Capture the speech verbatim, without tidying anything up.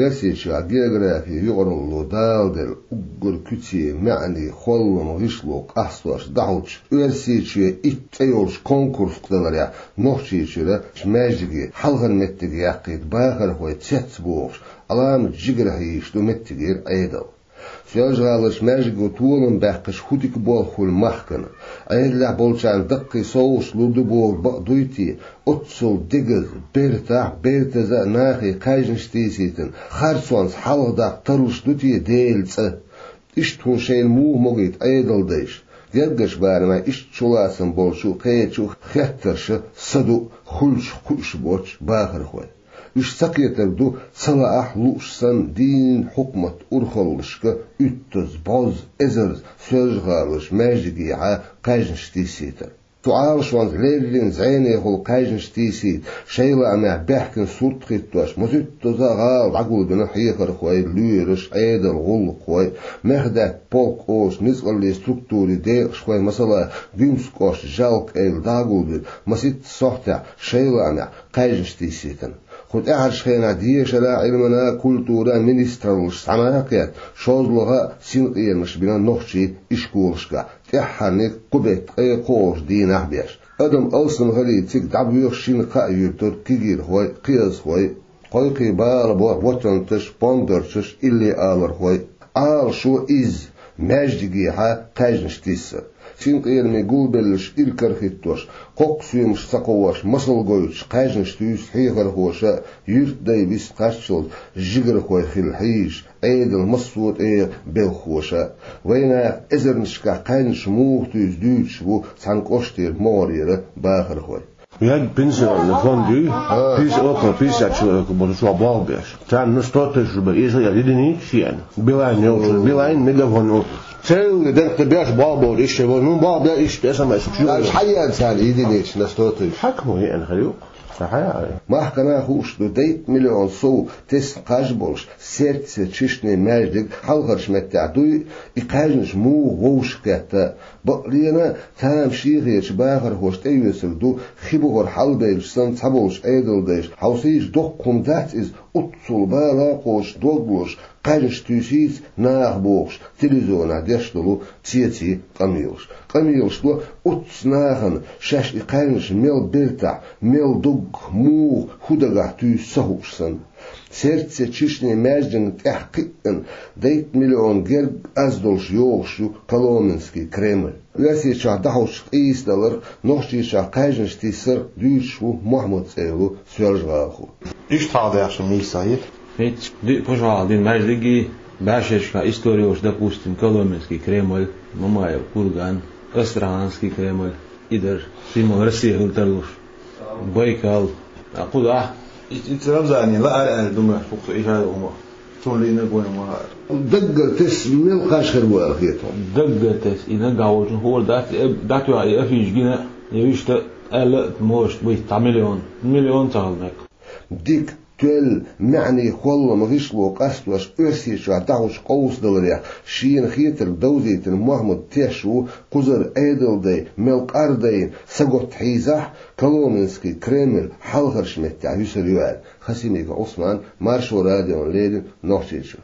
Оьрсийчохь географин юкъаралло даладелла уггар куьце маьӀне, холлам, гӀишло къастош дӀахьочу, Оьрсийчоь итт цӀе йолчу конкурс кхаьдаларехь Нохчийчуьра маьждиге хьалхара меттиг яккхийта бахархой цецбохуш, Ӏаламат жигара хьийзаш ду меттигера Ӏедал. Соьлжа-ГӀаларчу маьждиго толам баьккхича хӀун дика болх хуьлу махкана? Ӏедалехь болчарна даккхий совгӀаташ лур ду бохург бакъ дуй те? Оццул дегаза, бертахь а, бертаза а нахе кхаьжнаш тийсийтина, харцонца хьалхадаккха тарлуш ду те Делан цӀа? Иштта хӀума шайна муха могийта Ӏедалдайша? Гергарчу барамехь иштта чулацам болчу а, кхечу а хеттарша са ду хуьлучух кхуьуш боцчу бахархой. Уьш ца кхетар ду, ца лаахь лууш санна, дийнна хьукмат урхаллашка уьттаза, бӀозза, эзарза Соьлжа-ГӀаларчу маьждигехьа кхаьжнаш тийсийтар. Цу Ӏалашонца леррина зӀенехула кхаьжнаш тийсийта, шайн лаамехь баьхкина сурт хӀиттош, масийттаза а гӀала дӀагулбина хьехархой, лоьраш, Ӏедалан гӀуллакххой, Мехдаьтта полк олучу ницкъаллин структурин декъашхой, масала, Гуьмсан кӀоштан Жалкъа-Эвла дӀагулбина маситта сохьтехь шайн лаамехь кхаьжнаш тийсийтина. Кху тӀаьхьарчу хенахь дешара а, Ӏилмана а, культуран а министраллаш схьа ма кхетта, шозлагӀа а синкъерамаш бина нохчийн ишколашкахь, тӀаьххьарниг кху беттан ткъе кхоалгӀачу дийнахь а беш. Адам алсамхилийта цига дӀабоьху шина-кхаа юьртара кегийрхой, кхиазхой, кхойкхий бала бо ватанташ, пондарчаш, илли алархой. Ӏалашо изза, маьждигехьа кхаьжнаш тийсар. Синкъерамийн гулбелларш иракарахӀиттош, кхоккха соьмаш ца кхоош, масал гойтуш кхаьжнаш туьйсу хьехархоша а, юьртдай вист кхаччалц жигархой хилла хьийзаш, Ӏедалан массо а тӀегӀан белхахоша а. Вайнаха эзарнашкахь кхаьжнаш муха туьйсу дуьйцуш бу цхьана кӀоштера могӀарера бахархой. Ян пенсионный фонд ю, пятьдесят, около пятьдесят человек бу чохь болх беш. Царна сто тысяч рублей, если я единица шена. Билайн йолчу, Билайн, Мегафон йолчу. Церли дерг беш болх беш иштта, ну, болх беш иштта, СМС. Даже хьаян царна единица на сто тысяч. Хьакмо еана хир ю. Ца хьаян. Махкана хууш ду, дейтта миллион сов тесна кхаж болуш, Сердце Чечни маьждиг хьалхарчу меттехь дуй, и кхаьжнаш муха вовшахкхетта. Бакълена, тамашийхечу бахархоша тӀеоьцург ду, хи бухара хьалабевлча санна цхьаболчу Ӏедалдайша, хьовсийша, доккха хӀума дац иза, оццул бала а кхочуш, дог лозуш, кхаьжнаш туьйсийца наха бохуш, телевизионехь деш долу цеций къамелаш. Къамелаш до оццу нахана, шаьш и кхаьжнаш мел бертахь, мел доггах, муха, хӀун дагахь туьйсу ца хууш санна. Сердце Чечни маьждигна тӀаьхьа кхиъна, дейтта миллион герга аз долуш йогӀуш ю Коломенский Кремль. Оьрсийчохь дӀахьочу къийсадалар, Нохчийчохь кхаьжнаш тийсар дуьйцуш ву Мохьмад цӀе йолу соьлжа-гӀалахо. Иштта хьалдаьхча мийса хӀета? ХӀинца диъ пачхьалкх дина маьждигий, бӀешерашкахь история йолуш, допустим, Коломенский Кремль, Мамаев курган, Астраханский Кремль, и дара, цуьнан Россия хила тарлуш. Байкал. А кху дахь? И, и Рамзане лаьара аьлла ду моьтту хӀокху и хьайла хӀума. Цунна лийна гой ма хаьара. Даггара тесна мел кхаж хир бу аьлла хета хьуна? Даггара тесна. И нагахь волчун хуур дац, и дӀатоьхна и афиша гина, я вуьшта аьлла а, может быть, цхьа миллион. Миллион ца хила мега. Дика, тоьлла, маьӀне, холлам, гӀишло къастош Оьрсийчохь дӀахьочу къовсадаларех шена хетарг довзийтина Мохьмад теш ву, кхузара Ӏедалдай мел къардайна, саготта хьийзахь, Коломенский Кремль хьалхарчу меттехь юьсур ю аьлла. Хасимиков Ӏусман, Маршо радиона леррина, Нохчийчуьра.